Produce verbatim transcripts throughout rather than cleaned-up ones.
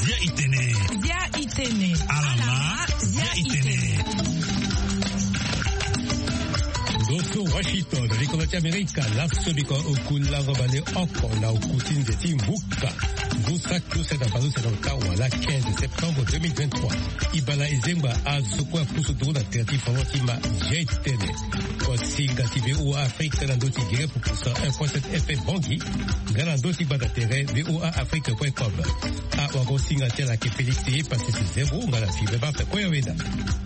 Zia itene. Zia itene. Alama. Zia itene. Ndo so Washington, likolo ti Amerika, laso biko oku lango baleoko na oku ti nze ti mbuka. Ngu saki use na baleuse na ota wala quinze septembre deux mille vingt-trois. Ibala ezengba azo kue apusu nduru na tere ti foro ti ma. Zia itene. Kosinga ti V O A Afrique na ndö ti gere pupusa un point sept F M Bangui. Nga na ndö ti gbanda tere V O A Afrique point com. Awagosinga ti ala ke Félix Passis Zebo nga na Fibe Martin Koyaweda.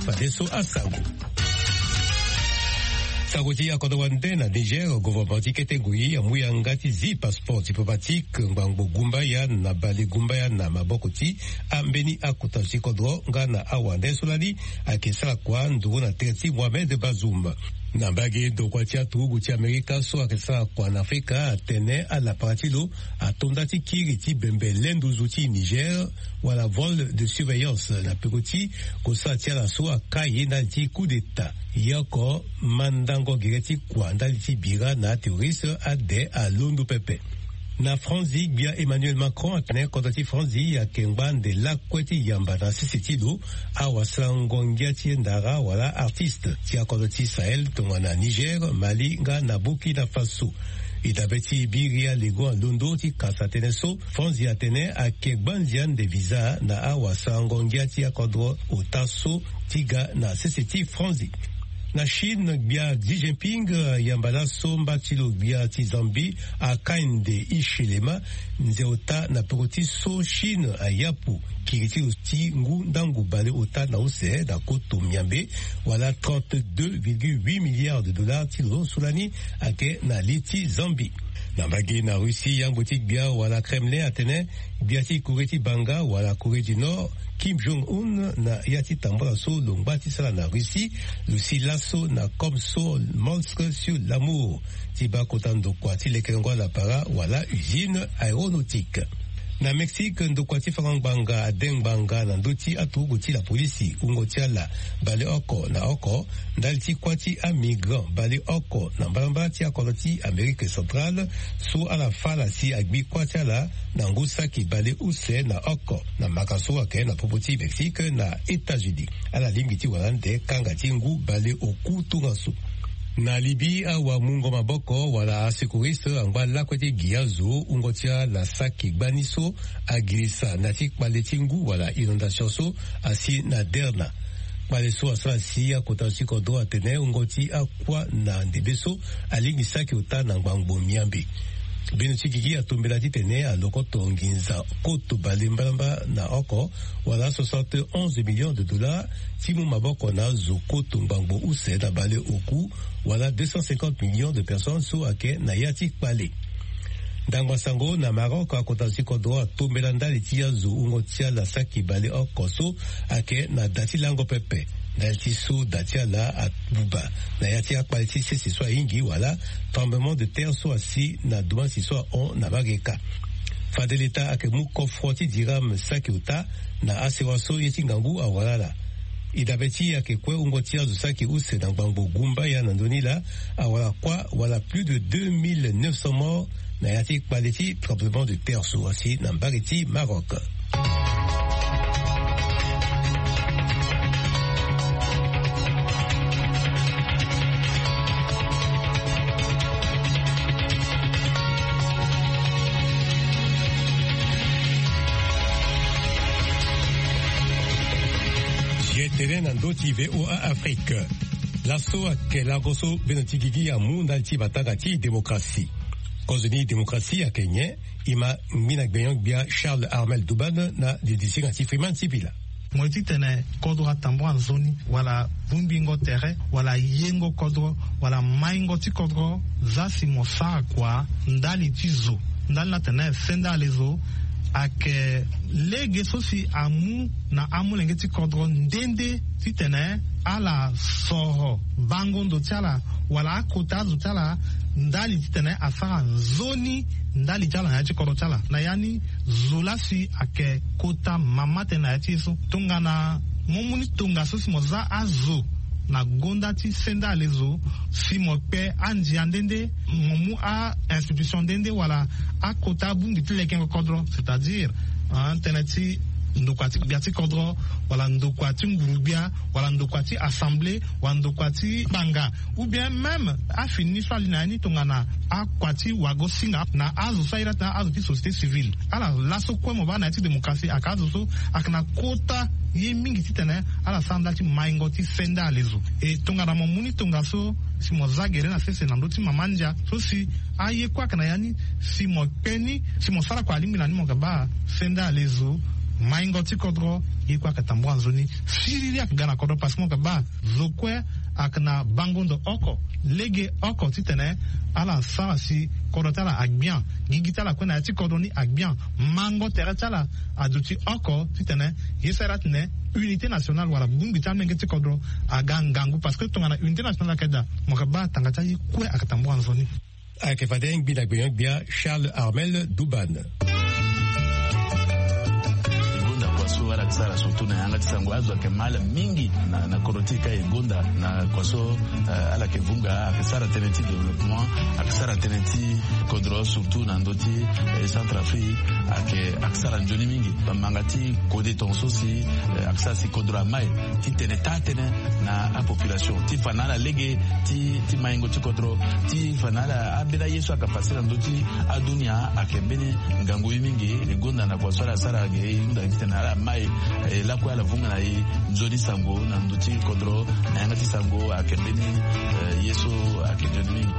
Fadeso asango. Sango ti akodro wande na Niger, gouvernement ti kete ngoi amu yanga ti zi passeport diplomatique ngbangbo gumbaya na bale gumbaya na maboko ti ambeni akota ti kodro nga na awande so lani ayeke sara kua nduru na tere ti Mohamed Bazoum. Na mbage ndokua ti aturugu ti Amerika so ayeke sara kua na Afrika atene alapara ti lo ato nda ti kiri ti bembe le nduzu ti Niger wala vol de surveillance na peko ti kosara ti ala so akai ndali ti coup d'état. Ye oko mandango gere ti kua ndali ti bira na aterroriste ade alondo pepe. Na Franzi, gbia Emmanuel Macron atene kodro ti Franzi ayeke ngba ande lakue ti yamba na sese ti lo awasarango ngia ti ndara wala artiste ti akodro ti Sahel tongana Niger, Mali nga na Burkina Faso. E dabe ti biri alego alondo ti kasa tënë so, Franzi atene ayeke gbanzi ande visa na awasarango ngia ti akodro ota so ti ga na sese ti Franzi. Na Chine, gbia Xi Jinping ayamba laso mba ti lo gbia ti Zambie, Hakainde Hichilema, nze ota na peko ti so Chine ayapu kiri ti lo ti ngu ndangu baleota na use na koto miambe, wala trente-deux virgule huit milliards de dollars ti lo so lani ayeke na li ti Zambie. Na mbage na Russie, yangbo ti gbia wala Kremlin atene gbia ti Corée ti banga wala Corée du Nord, Kim Jong-un, na ya ti tambula so lo ngba ti sara na Russie, lo si laso na comme so Mosque sur l'Amour ti baa kota ndokua ti lekerengo alapara wala usine aéronautique. Na Mexique, ndokua ti fango ngbanga ade ngbanga na ndö ti aturugu ti lapolisi wungo ti ala baleoko na oko ndali ti kuâ ti amigrant baleoko na mbalambala ti akodro ti Amérique centrale, so ala fâ ala si agbi kuâ ti ala na ngu saki baleuse na oko na maka so ayeke na popo ti Mexique na États-Unis. Ala lingbi ti wara ande kanga ti ngu baleoku tongaso. Na Libye, awamungo maboko wala asecouriste angba lakue ti gi azo wungo ti ala saki gbani so agirisa na ya ti kpale ti ngu wala inondation so asi na Derna. Kpale so asara si akota ti kodro atene wungo ti akua na ndembe so alingbi saki ota na ngbangbo miambe. Bino ti gigi atombela titene alokoto nginza koto bale mbalamba na oko, wala soixante et onze millions de dollars, ti mu maboko na azo koto ngbangbo use na baleoku, wala deux cent cinquante millions de personnes so ayeke na ya ti kpale. Ndangba sango na Maroc, akota ti kodro atombela ndali ti azo wungo ti ala saki baleoko so ayeke na da ti lango pepe, ndali ti so da ti ala abuba na ya ti akpale ti sese so ahingi, wala tremblement de terre so asi na dumansi so ahon na Bageka. Fade leta ayeke mu kofro ti dirham saki ota na asewa so ye ti ngangu awara ala. E dabe ti e ayeke kue wungo ti azo saki use na ngbangbo gumbaya na ndö ni laa, awara kuâ wala plus de deux mille neuf cents morts na ya ti kpale ti tremblement de terre so asi na mbage ti Maroc. Ye tene na ndö ti VOA Afrique. Laso ayeke lango so beno ti gigi amu ndali ti matanga ti démocratie. Kozo ni démocratie ayeke nyen? E ma ngbi na gbenyo-gbia Charles Armel Douban na didisinga ti Freeman Sipila. Mo ye titene kodro atambula nzoni, wala bongbingo tere, wala yengo kodro, wala maingo ti kodro, za si mo sara kua ndali ti zo, ndali ni atene sendale zo, ayeke lege so si amu na amolenge ti kodro nde nde titene ala soro bango ndo ti ala wala akota azo ti ala ndali titene asara nzoni ndali ti ala na ya ti kodro ti ala. Na ya ni zo laa si ayeke kota mama tënë na ya ti e so. Tongana mo mu ni tongaso si mo za azo Na gonda ti senda alezo, si mo kpe andia nde nde, mo mu a-institution nde nde wala akota abongbi ti lekengo kodro, c'est-à-dire tënë ti ndokua ti gbia ti kodro, wala ndokua ti nguru-gbia, wala ndokua ti assemblée, wala ndokua ti banga, ou bien même afini ni so ali na ya ni tongana akua ti wago-singa na azo so aye laa tena azo ti société civile. Ala laso kue mo baa na ya ti démocratie ayeke azo so ayeke na kota ye mingi titene ala sara ndali ti maingo ti senda alezo. E tongana mo mu ni tongaso, si mo za gere na sese na ndö ti mama-ndia so si aye kue ayeke na ya ni, si mo kpe ni, si mo sara kua alingbi na ni, mo yeke baa senda alezo, maingo ti kodro, ye kue ayeke tambula nzoni. Siriri ayeke ga na kodro parce que mo yeke baa zo kue ayeke na bango ndo oko, lege oko titene ala sara si kodro ti ala agbian, gigi ti ala kue na ya ti kodro ni agbian, mango tere ti ala aduti oko titene ye so aye laa tene unité nationale wala bongbi ti amenge ti kodro aga ngangu, parce que tongana unité nationale ayeke daa, mo yeke baa tanga ti aye kue ayeke tambula nzoni. Ayeke fade ngbi na gbenyo-gbia Charles Armel Dubane. E gonda kua so ala yeke sara surtout na yanga ti sango, azo ayeke ma ala mingi na, na kodro ti e ka e gonda na kua so, eh, ala yeke vunga, ayeke sara tënë ti développement, ayeke sara tënë ti kodro surtout na ndö ti, eh, Centrafrique, ayeke, ayeke sara nzoni mingi. Bamanga ti kode tongaso si, eh, ayeke sara si kodro amai titene taa tënë na apopulation ti fa na ala lege ti, ti maingo ti kodro, ti fa na ala ambeni aye so ayeke facile na ndö ti adunia ayeke mbeni ngangu ye mingi. E gonda na kua so ala sara ge e hunda titene ala mai, eh, lakue ala vunga na e nzoni sango na ndö ti kodro, na yanga ti sango ayeke mbeni, eh, ye so ayeke nzoni mingi.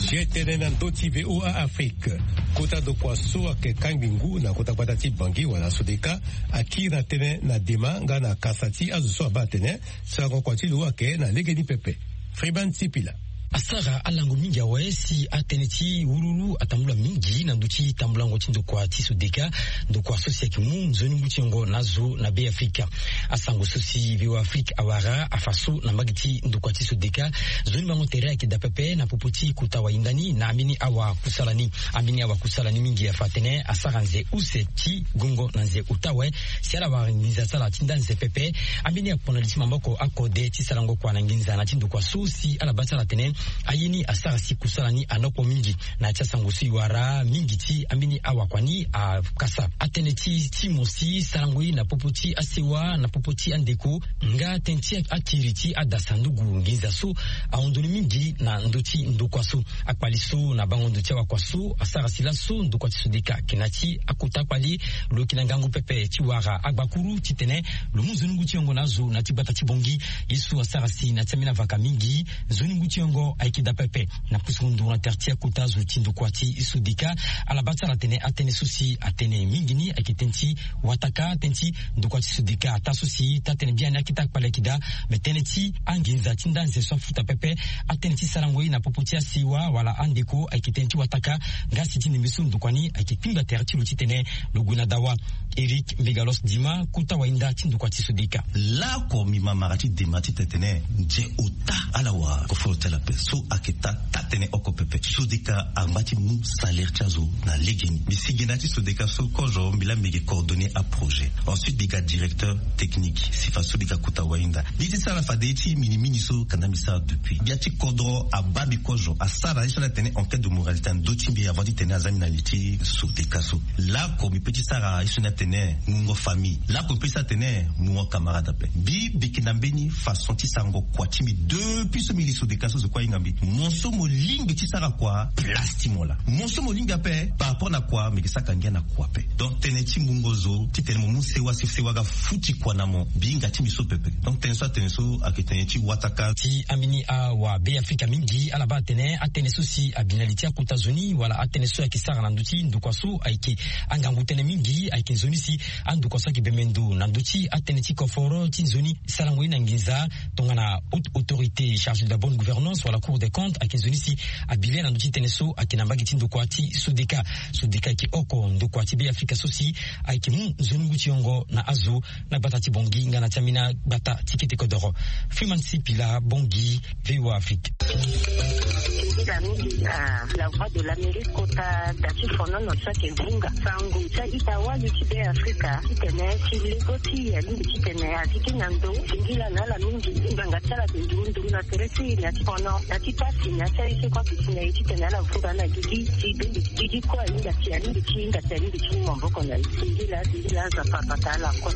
Zia tënë na ndö ti V O A Afrique. Kota ndokua so ayeke kangbi ngu na kota gbata ti Bangui wala Sodeka akiri na tënë na dema nga na kasa ti azo so abaa atene sarango kua ti lo ayeke na legeni pepe. Freeman Sipila. Asara alango mingi awe si atënë ti wululu atambula mingi na ndö ti tambulango ti ndokua ti Sodeka, ndokua so si ayeke mu nzoni ngu ti yongo na azo na Be Afrika. Asango so si V O A Afrique awara afa so na mbage ti ndokua ti Sodeka, nzoni bango tere ayeke daa pepe na popo ti kota wahinda ni na ambeni awa kusala ni. Ambeni awa kusala ni mingi afa atene asara nze use ti gongo na nze ota awe, si ala wara nginza ti ala ti nda nze pepe. Ambeni akpo na li ti maboko akode ti sarango kua na nginza na ti ndokua so si ala baa ti ala atene aye ni asara si kusala ni anokpo mingi. Na ya ti asango so e wara mingi ti ambeni awakua ni akasa atënë ti ti mo si sarango ye na popo ti asewa, na popo ti andeko, nga tënë ti akiri ti adasandugu nginza so ahon ndoni mingi na ndö ti ndokua so. Akpali so na bango ndo ti awakua so asara si laso ndokua ti Sodeka ayeke na ya ti akota akpali, lo yeke na ngangu pepe ti wara agbakuru titene lo mu nzoni ngu ti yongo na azo na ya ti gbata ti Bangui. Ye so asara si na ya ti ambeni avaka mingi, nzoni ngu ti yongo ayeke daa pepe. Na pusu ndu na tere ti akota zo ti ndokua ti Sodeka, ala baa ti ala atene atënë so si atene mingi ni ayeke tënë ti wataka, tënë ti ndokua ti Sodeka ataa so si taa tënë biani akita akpali ayeke daa, me tënë ti anginza ti nda nze so afuta pepe, atënë ti sarango ye na popo ti asewa wala andeko ayeke tënë ti wataka. Nga si ti ndembe so ndokua ni ayeke kpingba tere ti lo titene lo gue na dawa. Éric Mbegalos Dima, kota wahinda ti ndokua ti Sodeka. Laoko mbi ma mara ti dema ti tene tene nze ota ala wara koforo ti ala ape so ayeke taa taa tënë oko pepe. Sodeka angba ti mu salaire ti azo na legeni. Mbi si ge na ya ti Sodeka so kozo mbi laa mbi yeke coordonner aprojet. Ensuite mbi ga directeur technique, si faso mbi ga kota wahinda. Mbi ti sara fade ti mingi mingi so kanda mbi sara depuis. Gbia ti kodro abaa mbi kozo, asara ye so ala tene enquête de moralité na ndö ti mbi avant titene aza mbi na li ti Sodeka so. Laoko mbi peut ti sara ye so ni atene mungo famille. Laoko mbi peut ti sara atene mungo camarade ape. Mbi, mbi yeke na mbeni façon ti sarango kua ti mbi depuis so mbi li Sodeka so zo kue ahinga mbi. Mo so mo lingbi ti sara kua, place ti mo laa. Mo so mo lingbi ape par rapport na kua, mbi yeke saka ngia na kua ape. Donc tënë ti mungo zo titene mo mu sewa si sewa aga futi kua na mo, mbi hinga ti mbi so pepe. Donc tënë so atene so ayeke tënë ti wataka. Ti ambeni awa Be Afrika mingi ala baa atene atënë so si abi na li ti akota zo ni wala atënë so ayeke sara na ndö ti ndokua so ayeke angangu tënë mingi, ayeke nzoni Ni si andokua so ayeke bembe ndo na ndö ti atënë ti koforo ti nzoni sarango ye na nginza. Tongana haute autorité chargée de la bonne gouvernance wala Cour des comptes ayeke nzoni si abi le na ndö ti tënë so ayeke na mbage ti ndokua ti Sodeka. Sodeka ayeke oko ndokua ti Be Afrika so si ayeke mu nzoni ngu ti yongo na azo na gbata ti Bangui nga na ti ambeni agbata ti kete kodoro. Freeman Sipila, Bangui, V O A Afrique. Singila mingi na La Voix de l'Amérique kota da ti fonono so ayeke vunga sango ti a-ita wali ti Be Afrika titene ti lego ti e alingbi titene a zi kini na ndo. Singila na ala mingi ti ngbanga ti ala ayeke nduru nduru na tere ti e na ti fono na ti pasi na ti aye so kue ayeke si na e titene ala vunga na gigi ti be. Gigi kue ahinga si alingbi ti hinga si alingbi ti mu maboko na e. Singila, singila, Nzapa abata ala kue.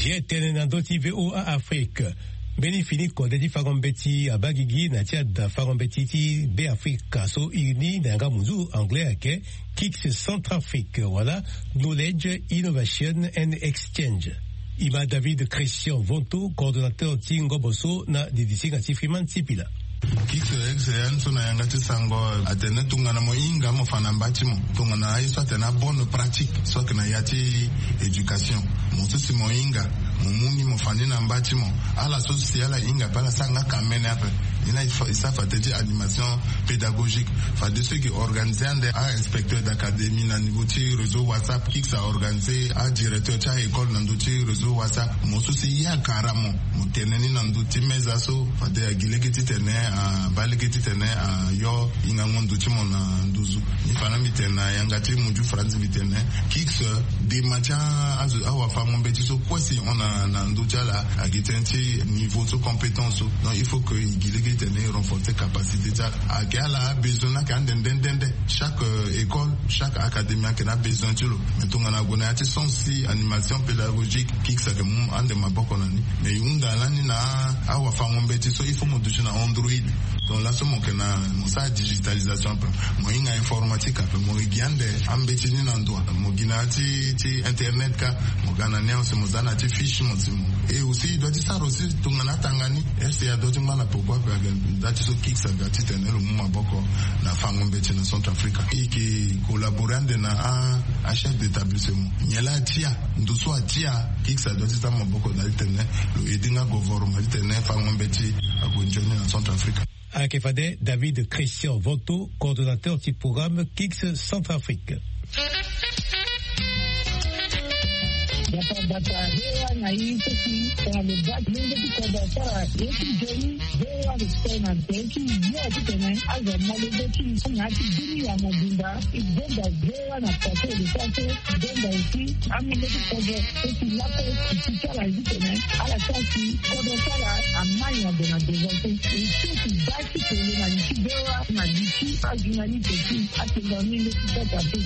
Ye tënë na ndö ti V O A Afrique. Mbeni fini kode ti fango mbeti abaa gigi na ti ada fango mbeti ti Be Afrika so iri ni na yanga munzu anglais ayeke KICS Centrafrique wala Knowledge Innovation and Exchange. E ma David Christian Vonto, coordonnateur ti ngobo so na didisinga ti Freeman Sipila. KICS, ya ni so na yanga ti sango atene tongana mo hinga mo fa na mba ti mo, tongana aye so atene abonne pratique so ayeke na ya ti éducation, mo so si mo hinga, mo mu ni mo fa ni na mba ti mo. Ala so si ala hinga ape ala sara nga kamene ape. Ni laa e sara fade ti animation pédagogique. Fade so e ke organiser ande a-inspecteur d'académie na niveau ti réseau WhatsApp. KICS a organiser adirecteur ti a-école na ndö ti réseau WhatsApp. Mo so si ye akara mo, mo tene ni na ndö ti meza so fade agi lege titene abaa lege titene ayo hingango ndo ti mo na nduzu. Ni fa na mbi tene na yanga ti munzu faranzi mbi tene KICS, dema ti azo awafango mbeti so kue si e hon na ndö ti ala ayeke tënë ti niveau so, compétence so. Donc il faut que e gi lege titene e renforcer capacité ti ala. Ayeke ala abesoin ni ayeke ande nde nde nde. Chaque école, chaque académie ayeke na abesoin ti lo. Mais tongana ague na ya ti sens ti animation pédagogique, KICS ayeke mu ande maboko na ni. Mais e hunda lani na awafango mbeti so il faut mo duti na Android. Donc laso mo yeke na mo sara digitalisation ape, mo hinga informatique ape, mo gi ande ambeti ni na ndo, mo gi na ya ti ti internet kâ, mo ga na ni awe si mo za na ya ti fiche mo si mo. Et aussi e doit ti sara aussi tongana atanga ni, RCA doit ti ngba na peko ape. Ayeke nda ti so KICS aga titene lo mu maboko na fango mbeti na Centrafrique. E yeke collaborer ande na a chef d'établissement. Nyen laa atia, ndo so atia, KICS adoit ti za maboko na titene lo aider nga gouvernement titene fango mbeti ague nzoni na Centrafrique. Ayeke fade David Christian Vonto, coordonnateur ti programme KICS Centrafrique. Bata bata, hewa na ye so si tongana lo baa ti lenge ti kodro asara ye ti nzoni, hewa lo si tongana tene ti ye titene azo amolenge ti na ya ti bini ya mobimba. E gonda hewa na pase lo sara so gonda aussi amolenge ti kodro so si lakue e si ti ala ye titene ala sara si kodro ti ala amai na ndo na devant so e so si baa ti kolo na li ti hewa na li ti ajournaliste ti atenda mingi ti kota ti.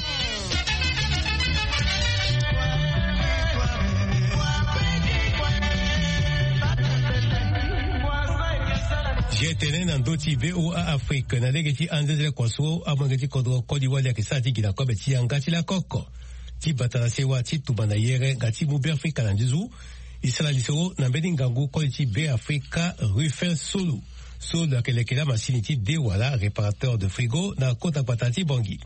Ye tene na ndö ti V O A Afrique na lege ti anzezele kua so amolenge ti kodro koli wali ayeke sara ti gi na kobe ti yanga ti lakoko. Ti bata na sewa ti tumba na yere nga ti mu Be Afrika na nduzu. E sara lisoro na mbeni ngangu koli ti Be Afrika Rufin Solo. Solo ayeke leke la masini ti de wala réparateur de frigo na kota gbata ti Bangui.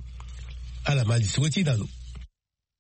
Ala ma lisoro ti na lo.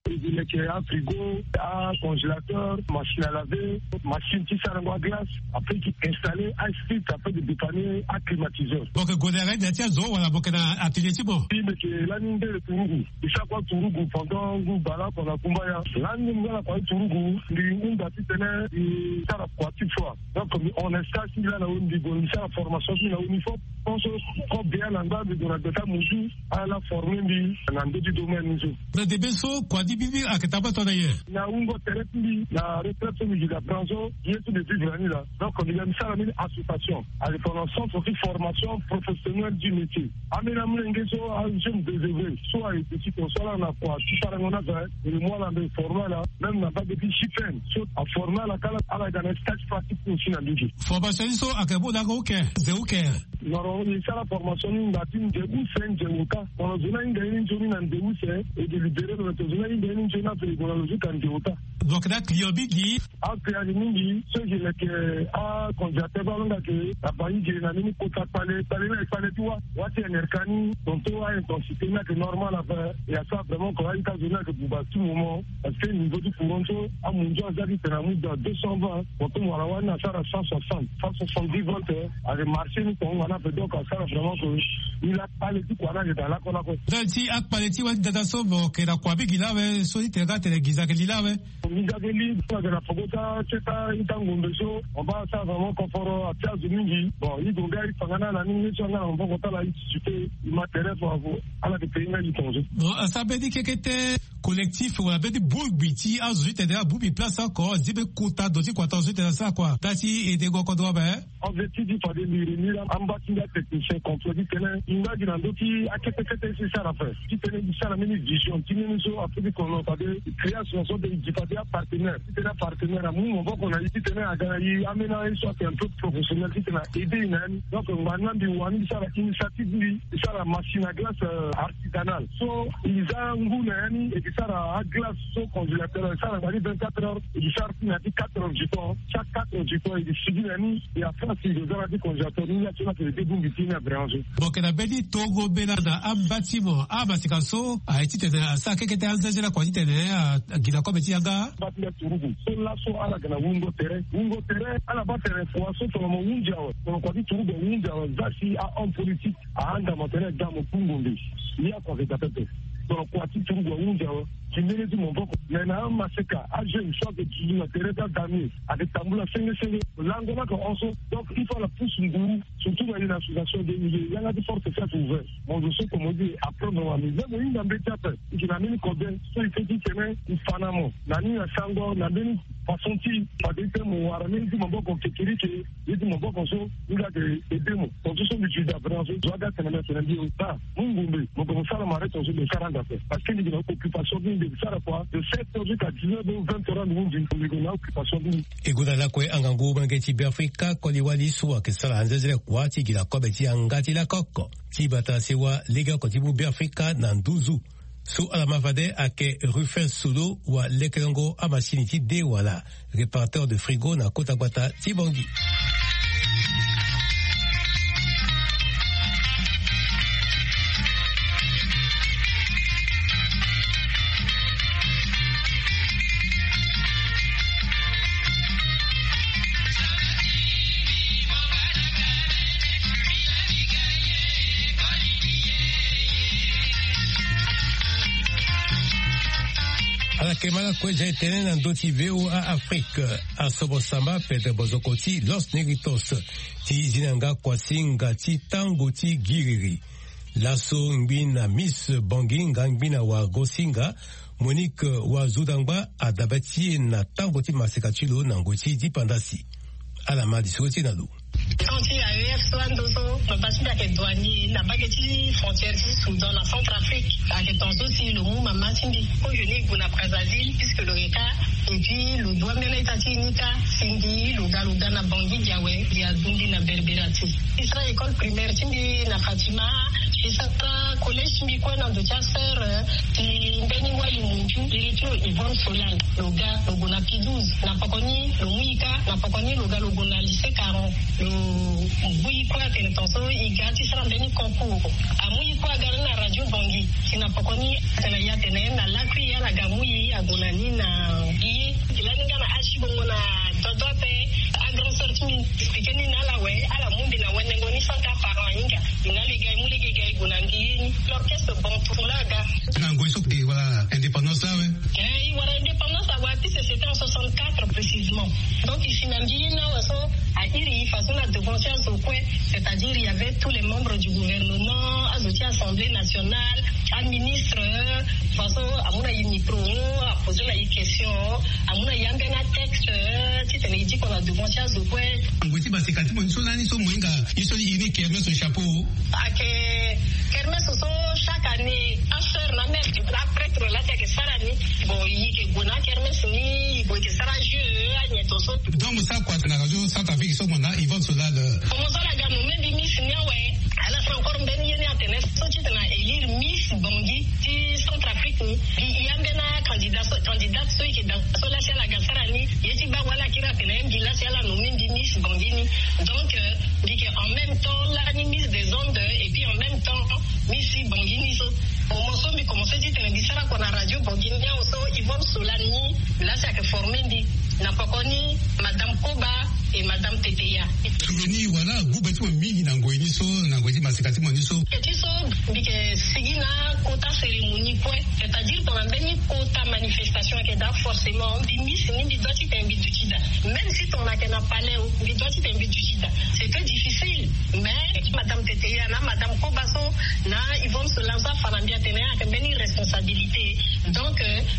Leke afrigo, acongélateur, machine à laver, machine ti sarango aglace. Après ti installer asplit, après de dépanner aclimatiseur. Boke gode arende ti azo wala boke na atelier ti mo? Ti meke lani ndele turugu. Isa kua turugu pendant ngu bala kua na kumbaya. Lani ngu bala kua turugu ndi hunda titene ndi sara kua ti froid. Donc on instage ti ngi la na weni, bon, mi sara formation ti ngi na weni fo. Pense ko bien na nda mbi gue na gbeta muzu ala forme mbi na ndö ti domaine ni so. Na debe so kua ti bibi ayeke tabata na nyen? Na wungo tere ti mbi na retraite so mbi gi na branzo ye so mbi vivre na ni la. Donc mbi ga mbi sara mbeni association ayeke tongana centre ti formation professionnelle du métier. Ambeni amolenge so ajeune désœuvré so ayeke ti ton so ala na kua ti sarango na azo, e mu ala mbe forme ala même na mbage ti chipene so aforme ala kala ala ga na stage pratique aussi na mbage. Formation ni so ayeke mu na oko uke ze uke? Noro e sara formation ni nda ti nze use nze ota. Tongana zo ni ahinga ye ni nzoni na nze use e délibéré lo na tongana zo ni ahinga Ni nzoni ape e gue na lo ti ka nde ota. Donc na client mingi. Aklian ni mingi so e gi leke. Acongélateur baa alonga ke na bangi gi na ni ni kota kpale kpale na e kpale ti wa wa ti enerka ni tonto a intensité ni ayeke normal ape. E asara vraiment ko a-ita zo ni ayeke buba tout moment. Parce que niveau ti courant so amunzu aza ti tene amu dans deux cent vingt. Tonto mo wara wani asara cent soixante, cent soixante-dix volts. Ayeke marché ni tonga na ape donc asara vraiment ko. Ni la kpale ti kua ni ayeke daa lakue lakue. Ndali ti akpale ti wa ti dada so mo yeke na kua mingi laa awe so ti tene nga atene gi za ayeke li laa awe. Nginza ge li so ayeke na poko ti a-ita ngombe so. Mo baa asara vraiment koforo atia azo mingi. Bon i gue nga i fa nga na ala ni ye so anga na maboko ti ala i discuter i ma tere fo. Ala yeke payé nga i tongaso. Bon asara mbeni kekete collectif wala mbeni bongbi ti azo ti tene abongbi place oko azi mbeni kota ndo ti kua tongaso ti tene asara kua taa ti ede ngo kodro ape. Objectif ti fade liri ni la amba ti nga technicien contrôle ti tene i nga gi na ndö ti akete kete ti sara ape. Ti tene i sara mbeni vision ti mbeni so ape ti kono fade i création so de i gi fade apartenaire ti tene apartenaire amu maboko na i ti tene aga na i ambeni aye so ayeke un peu professionnel ti tene a aidé i na ya ni. Donc ngba ni la mbi wani ti sara initiative ti mbi ti sara machine à glace artisanale so i za ngu na ya ni e ti sara aglace so congélateur e sara ngba ni vingt-quatre heures e ti sara ti na ya ti quatre heures du temps. Chaque quatre heures du temps e ti sigi na ya ni. Ya france i zo za na ya ti congélateur ni ya ti na tene de bongbi ti ni na bréange. Bon ke na mbeni tongo mbela na ambâtiment amasika so aye titene asara keke ti anzazela kua titene. Agila kobe ti yanga. Bâ ti nda turugu so laso ala ga na wungo tere wungo tere ala bâ tere fua so tongana mo hunzi awe tongana kua ti turugu ahunzi awe za si ahomme politique ahanda mo tene da mo kungombe. Ni akua ke da pepe. Tongana kua ti turugu ahunzi awe ti mbeni ti maboko me na amaseka ajeune so ayeke duzu na tere ti adami ayeke tambula senge senge. Lango ni ayeke hon so donc il faut ala pousse nguru. Surtout na ye na association de ye yanga ti force fiat ouvert. Mo zo so comme on dit apprendre wa mais même mo hinga mbeti ape. I ke na mbeni kobe so i ke ti tene i fa na mo na ni na sango na mbeni façon ti fade ti tene mo wara mbeni ti maboko kekerike. Ye ti maboko so i ga ke ede mo. Tongaso so mbi ti da vraiment so zo aga tene na tene mbi ota. Mu ngombe mo ke mo sara mare tongaso mbi sara anda ape. Parce que mbi ke na occupation ti mbi mbi sara kua de sept heures jusqu'à dix-neuf heures vingt heures ando mu mbi mbi ke na occupation ti mbi. E gonda lakue angangu molenge ti beafrika koli wali so ayeke sara anzezele kua ti gi na kobe ti yanga ti lakoko ti bata sewa legeoko ti mu beafrika na nduzu. So ala ma fade ayeke rufin solo wa lekelengo amasini ti de wala réparateur de frigo na kota gbata ti bangi. Ala kema lakue ja etene na ndö ti voa afrique. Asobo samba pete bozoko ti los négritos ti zi na yanga kuasinga ti tango ti giriri. Laso ngbi na miss bangi nga ngbi na wa gosinga monique wa zudangba adabe ti e na tango ti maseka ti lo na ngoi ti dipandasi. Ala ma lisoro ti e na lo. Tant ti aef so ando so mama ti mbi ayeke douanier na mbage ti frontière ti soudan na centre afrique. Ayeke tongaso si lo mu mama ti mbi. Ko je ni e gue na brazzaville puisque lo yeka. Et puis lo dua mbeni a-ita ti e ni kâ. Si mbi lo ga lo ga na bangi gi awe mbi azu mbi na berbera ti e. Ti sara école primaire ti mbi na fatima. Ti sara collège ti mbi kue na ndo ti aseur ti mbeni wali munju iri ti lo yvonne solal. Lo ga lo gue na pidouze na poko ni lo mu e kâ. Na poko ni lo ga lo gue na lycée caron. Lo bui kue atene tongaso e ga ti sara mbeni concours. Amu e kue aga ni na radio bangi. Si na poko ni atene e atene na lakui e ala ga mu e ague na ni na gi e. Gi lani nga na asi bongo na dodo ape. Agrand sœur ti mbi explike ni na ala awe. Ala mu mbi na wendengo ni sans kâ parent ahinga. Mbi na lege e mu lege e ga e gue na mbi ye ni. L'orchestre bantou laa aga. Na ngoi so e wara indépendance laa awe. E wara indépendance awe puisque c'était en soixante-quatre précisément. Donc e si na mbi ye ni awe so a iri e façon na devant ti azo kue. C'est-à-dire il y avait tous les membres du gouvernement, azo ti assemblée nationale, aministre. Façon amu na e micro, aposer na e question. Amu na e ambeni atexte titene e diko na devant ti azo kue. Ngoi ti baseka ti mo ni so lani so mo hinga e so e ni kermes au chapeau. Ayeke kermes so chaque année aseur na mère aprêtre laa ti ayeke sara ni. Bon e yeke gue na akermes ni e gue e yeke sara jeu anyen tongaso. Donc mo sara kua na radio centre afrique so mo na yvonne solal. Mo sara ga mo même mbi miss ni awe. Ala sara encore mbeni ye ni atene so titene a élire miss bangi ti centre afrique ni. Mbi e ambeni. Bangui ni. Donc mbi yeke en même temps lani mise des ondes et puis en même temps mi si Bangui ni so. Moment so mbi commence titene mbi sara kua na radio Bangui ni awe so Yvonne Solani la si ayeke forme mbi na poko ni, madame Koba et madame Teteya. Turu ni wala gube ti mo mingi na ngoi ni so, na ngoi ti maseka ti mo ni so. Eti so mbi yeke sigi na kota cérémonie kue, c'est-à-dire tongana mbeni kota manifestation ayeke daa, forcément mbi misi ni mbi doit titene mbi duti daa. Même si tongana ayeke na palais o, mbi doit titene mbi duti daa. C'était difficile, mais madame Teteya na madame Koba so na Yvonne Solani so afa na mbi atene ayeke mbeni responsabilité. Donc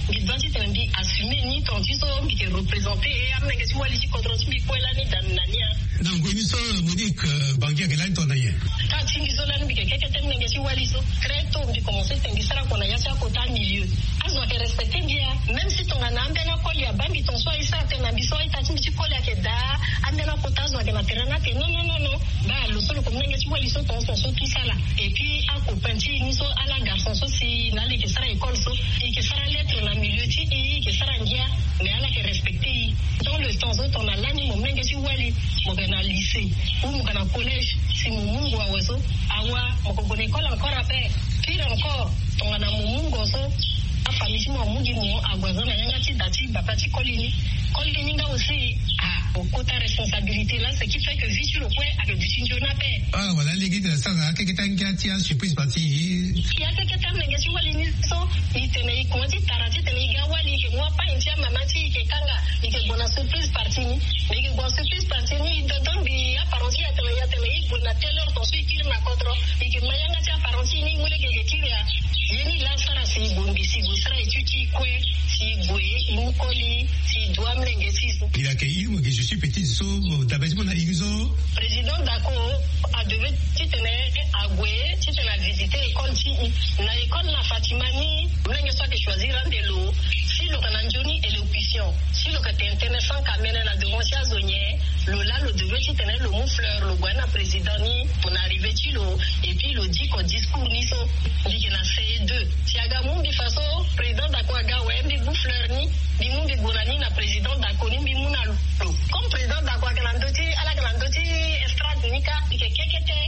mbi doit titene mbi assume ni, tant ti so mbi yeke représenter amolenge ti wali ti kodro ti mbi kue lani daa na ni. Na ngoi ni so Monique, Bangui ayeke lani tongana nyen? Ka ti mbi so lani mbi yeke kekete molenge ti wali so. Très tôt mbi commence titene mbi sara kua na ya ti akota milieu. Azo ayeke respecter mbi ya. Même si tongana ambeni akoli abaa mbi, ton so aye sara tënë na mbi so aita ti mbi ti koli ayeke daa, ambeni akota azo ayeke na terrain ni ayeke non non non non. Baa lo so lo yeke molenge ti wali so, ton so so tout ça là. Et puis acopain ti e ni so ala garçon so si na ala yeke sara école so, e yeke sara lettre na milieu ti e, e yeke sara ngia. Mais ala yeke respecter e. Dans le temps so tongana lani mo molenge ti wali, mo yeke na lycée ou mo yeke na collège, si mo mu ngu awe so, awa mo yeke gue na école encore ape. Pire encore, tongana mo mu ngu so, afamille ti mo amu gi mo ague aza na yanga ti da ti bapa ti koli ni. Koli ni nga aussi, ah, mo kota responsabilité là, ce qui fait que vie ti lo kue ayeke duti nzoni ape. Ah, voilà, lege titene asara akeketa ngia ti asurprise party. E akeketa molenge ti wali ni so, e tene e kuma ti tara titene e ga wali, e yeke mu apagne ti amama ti e, e yeke kanga, e yeke gue na surprise party ni. E yeke gue na surprise party ni, e dondombi aparent ti e atene, e atene e gue na telle heure, ton so e kiri na kodro, e yeke ma yanga ti aparent ti e ni, e mu lege e yeke kiri ya. Ye ni laa asara si e gue mbi, si e gue sara étude ti e kue, si e gue e mu koli, si e du amolenge ti e so. Pila yeke iri mo yeke je suis petite so, dabe ti mo na iri so. Président Dako adevait titene ague titene avisiter école ti e. Na école na Fatima ni, molenge so ayeke choisir ande lo. Si lo yeke na nzoni élocution, si lo yeke tene tënë sans kamene na devant ti azo nyen, lo laa lo devait titene lo mu fleur lo gue na président ni na arrivée ti lo. Et puis lo diko discours ni so. Mbi yeke na C E deux. Si aga mu mbi fa so, président Dako aga awe, mbi mu fleur ni, mbi mu mbi gue na ni na président Dako ni, mbi mu na lo. Comme président Dako ayeke na ndö ti, ala yeke na ndö ti estrade ni kâ, mbi yeke kekete.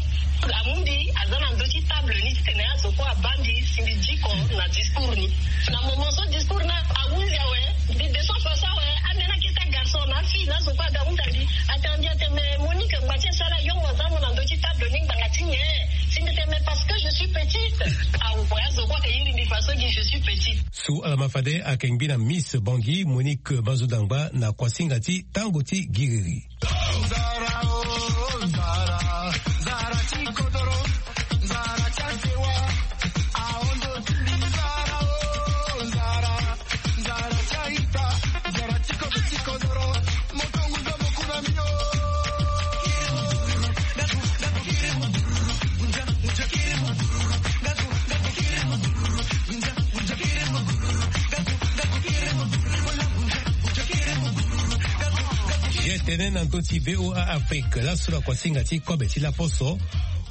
Amu mbi aza na ndö ti table ni titene azo kue abaa mbi si mbi diko na discours ni. Na moment so discours ni ahunzi awe, mbi descend face awe, ambeni akete agarçon na afille na azo kue aga ahunda mbi. Atene mbi, atene mais Monique, ngbanga ti e so ala yongo aza mo na ndö ti table ni, ngbanga ti nyen? Si mbi tene mais parce que je suis petite. Awe, azo kue ayeke iri mbi fa so gi je suis petite. So ala ma fade ayeke ngbi na Miss Bangui, Monique Bazodangba, na kuasinga ti tango ti giriri. Ye tene na ndö ti V O A Afrique, laso na kuasinga ti kobe ti laposo,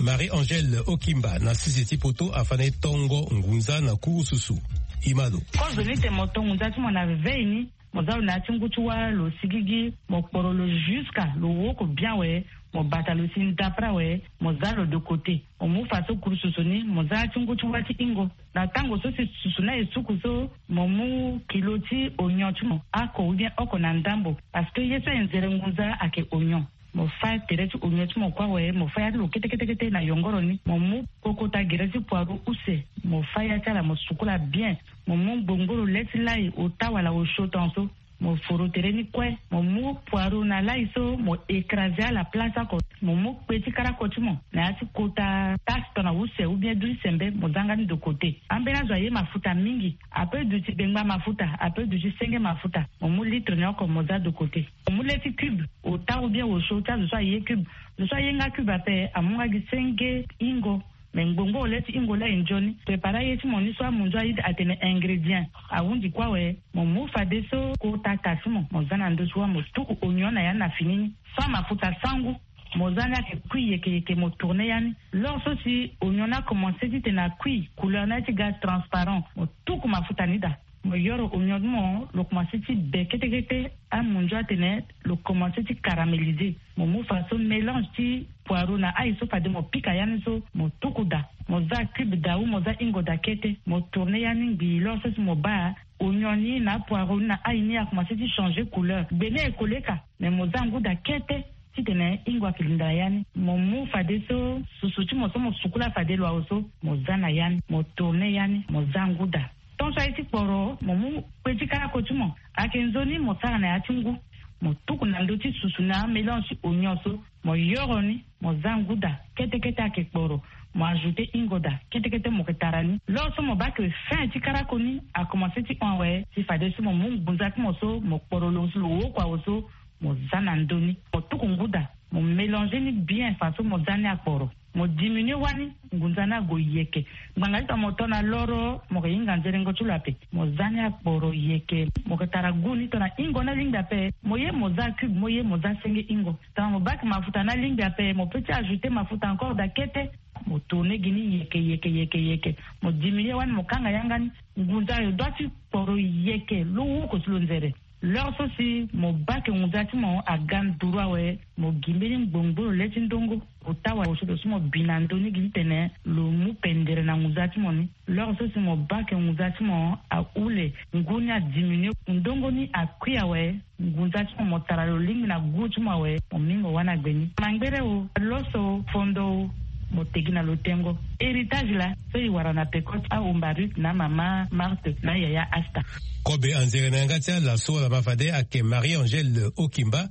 Marie Angèle Okimba na sese ti poto afa na e tongo ngunza na kurususu. Imado. Kozo ni tene mo to ngunza ti mo na vevei ni, mo za lo na ya ti ngu ti wâ, lo sigigi, mo kporo lo jusqu'à lo woko bien awe, mo bata lo si ndapre awe, mo za lo de côté. Mo mu fa so kurususu ni, mo za ya ti ngu ti wâ ti hingo. Na tango so si susu ni aye suku so, mo mu kilo ti oignon ti mo, ako ou bien oko na ndambo, parce que ye so aye nzere ngunza ayeke oignon. Mo fâ tere ti oignon ti mo kue awe, mo fâ ya ti lo kete kete kete na yongoro ni. Mo mu kokota gere ti poireau use, mo fâ ya ti ala, mo sukola bien. Mo mu ngbongboro le ti lai, ota wala osio ton so. Mo foro tere ni kue, mo mu poireau na lai so, mo écraser ala place oko. Mo mu kpe ti karako ti mo na ya ti kota tasse ton na use ou bien du ti sembe, mo za nga ni de côté. Ambeni azo aye mafuta mingi, ape duti bengba mafuta, ape duti senge mafuta. Mo mu litre ni oko, mo za de côté. Mo mu le ti cube, ota ou bien osio ti azo so aye cube. Zo so aye nga cube ape, amu nga gi senge hingo. Me ngbongboro le ti hingo la e nzoni. Prépare aye ti mo ni so amunzu aye atene ingrédient. Ahundi kue awe, mo mu fadeso kota ta ti mo, mo za na ndö ti wâ, mo tuku oignon na ya ni na fini ni. Sans mafuta sangu, mo za ni ayeke kui yeke yeke, mo tourner ya ni. Lors so si oignon ni akomense titene akui, couleur ni aye ti ga transparent, mo tuku mafuta ni daa. Mo yoro oignon ti mo, lo komanse ti be kete kete. Amunzu atene lo komanse ti caraméliser. Mo mu faso mélange ti poireau na ail so fade mo pika ya ni so, mo tuku daa. Mo za cube daa ou mo za hingo daa kete, mo tourner ya ni ngbii. Lors so si mo baa oignon ni na apoireau ni na ail ni akomanse ti changer couleur, gbe ni aye koleka, mais mo za ngu daa kete. Titene hingo ayeke linda na ya ni, mo mu fadeso susu ti mo so mo sukula fade lo awe so, mo za na ya ni, mo tourner ya ni, mo za ngu daa. Tongaso aye ti kporo, mo mu kpe ti karako ti mo, ayeke nzoni mo sara na ya ti ngu. Mo tuku na ndö ti susu na amélange ti oignon so, mo yoro ni, mo za ngu daa kete kete, ayeke kporo. Mo ajouter hingo daa kete kete, mo yeke tara ni. Lors so mo baa ke fin ti karako ni akomanse ti hon awe, si fadeso mo mu ngunza ti mo so mo kporo lo si lo oko awe so, mo za na ndö ni, mo tuku ngu daa, mo mélanger ni bien faso mo za ni akporo. Mo diminuer wani, ngunza ni ague yeke. Ngbanga ti tongana mo to na loro, mo yeke hinga nzerengo ti lo ape. Mo za ni akporo yeke. Mo yeke tara goût ni, tongana hingo ni alingbi ape, mo ye mo za cube, mo ye mo za senge hingo. Tongana mo baa ke mafuta ni alingbi ape, mo peut ti ajouter mafuta encore daa kete. Mo tourner gi ni yeke yeke yeke yeke. Mo diminuer wani, mo kanga yanga ni. Ngunza ayo doit ti kporo yeke, lo oko ti lo nzere. Lors so si mo baa ke ngunza ti mo aga nduru awe, mo gi mbeni ngbongbolo le ti ndongo. Ota wala osio so mo bi na ndö ni gi titene lo mu pendere na ngunza ti mo ni. Lors so si mo baa ke ngunza ti mo ahule, ngu ni adiminuer, ndongo ni akui awe, ngunza ti mo, mo tara lo lingbi na goût ti mo awe, mo mingo wani agbe ni. Mangbere o, loso, fondo o, mo tegi na lo tengo. Héritage laa so e wara na peko ti ahomba Ruth na mama Marthe na yaya Asta. Kobe anzere na yanga ti ala so ala ma fade ayeke Marie Angèle Okimba,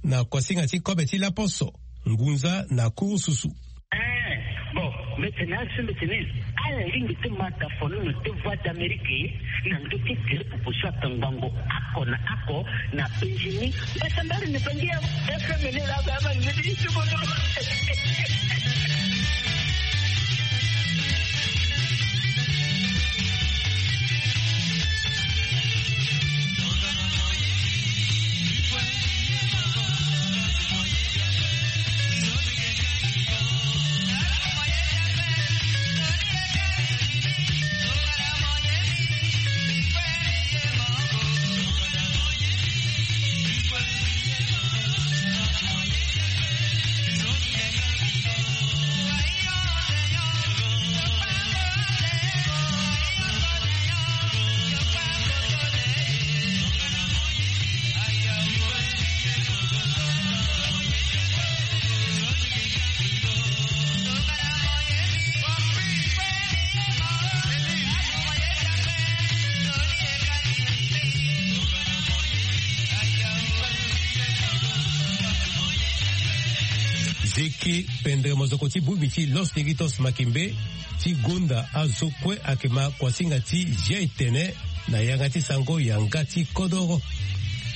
na kuasinga ti kobe ti laposo, ngunza na kurususu. Eh, bon, mbi tene aso mbi tene, ala lingbi ti ma dafono na te Voix d'Amérique na ndö ti gere popo so atangbango oko na oko na penzi ni. Mbi sambari ni bangi ya F M ni laa, ba, ba, ni ti bono. Zeke pendere mozoko ti bongbi ti Los Negritos Makembe ti gonda azo kue ayeke ma kuasinga ti zia etene na yanga ti sango yanga ti kodoro.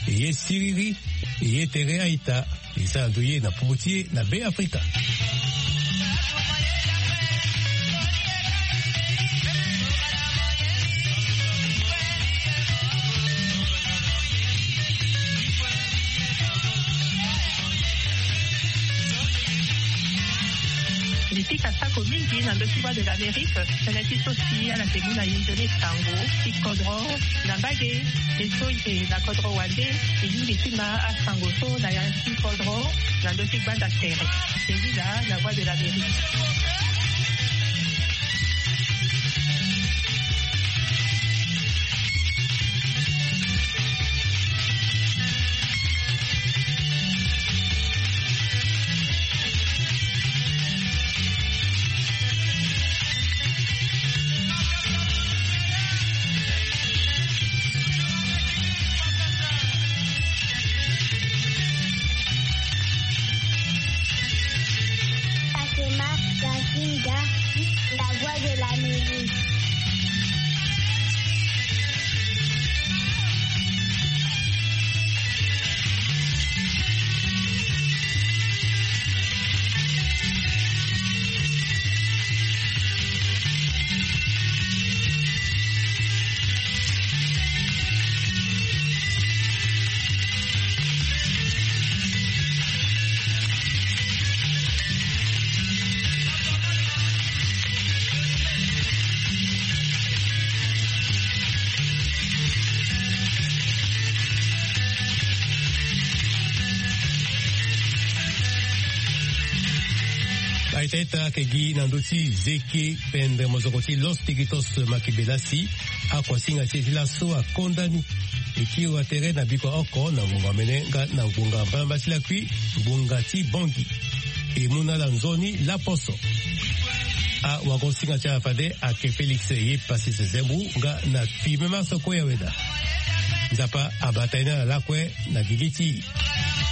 E ye siriri, e ye tere a-ita. E sara ndo ye na popo ti e na Be Afrika. Mbi pika sako mingi na ndö ti Voix de l'Amérique, tënë ti so si ala yeke mu na e nzoni sango ti kodro na mbage. E so e yeke na kodro wande, e lingbi ti ma asango so na ya ti kodro na ndö ti gbanda tere. Tengila na Voix de l'Amérique. Aita ita ake gi na ndö ti zeke pendre mozoko ti los tigitos makibelasi. Akuasinga ti e ti laso akonda ni. E kiri wa tere na biko oko na ngbonga mene nga na ngbonga mbalamba ti lakui ngbonga ti bongi. E mu na ala nzoni laposo. Awagosinga ti ala fade ake félix ye pasi sezembu nga na fimema soko ya weda. Nzapa abata ye na ala lakue na gigi ti